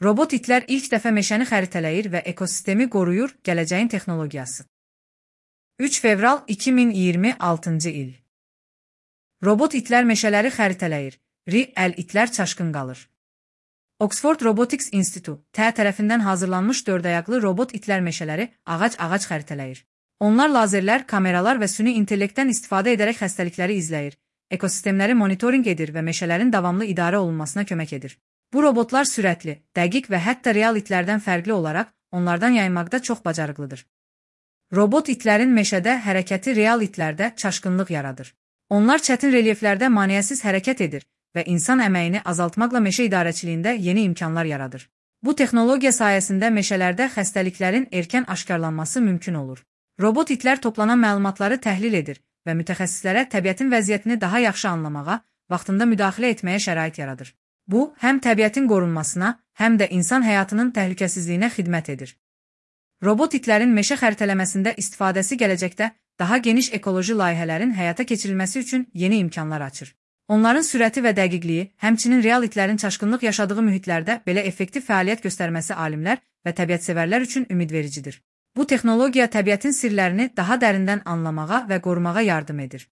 Robot itlər ilk dəfə meşəni xəritələyir və ekosistemi qoruyur, gələcəyin texnologiyası. 3 fevral 2026-cı il. Robot itlər meşələri xəritələyir, Real itlər çaşqın qalır. Oxford Robotics Institute tərəfindən hazırlanmış 4 ayaqlı robot itlər meşələri ağac-ağac xəritələyir. Onlar lazerlər, kameralar və süni intellektdən istifadə edərək xəstəlikləri izləyir, ekosistemləri monitorinq edir və meşələrin davamlı idarə olunmasına kömək edir. Bu robotlar sürətli, dəqiq və hətta real itlərdən fərqli olaraq onlardan yaymaqda çox bacarıqlıdır. Robot itlərin meşədə hərəkəti real itlərdə çaşqınlıq yaradır. Onlar çətin relyeflərdə maneəsiz hərəkət edir və insan əməyini azaltmaqla meşə idarəçiliyində yeni imkanlar yaradır. Bu texnologiya sayəsində meşələrdə xəstəliklərin erkən aşkarlanması mümkün olur. Robot itlər toplanan məlumatları təhlil edir və mütəxəssislərə təbiətin vəziyyətini daha yaxşı anlamağa, vaxtında müdaxilə etməyə şərait yaradır. Bu, həm təbiətin qorunmasına, həm də insan həyatının təhlükəsizliyinə xidmət edir. Robot itlərin meşə xəritələməsində istifadəsi gələcəkdə daha geniş ekoloji layihələrin həyata keçirilməsi üçün yeni imkanlar açır. Onların sürəti və dəqiqliyi, həmçinin real itlərin çaşqınlıq yaşadığı mühitlərdə belə effektiv fəaliyyət göstərməsi alimlər və təbiətsevərlər üçün ümidvericidir. Bu texnologiya təbiətin sirlərini daha dərindən anlamağa və qorumağa yardım edir.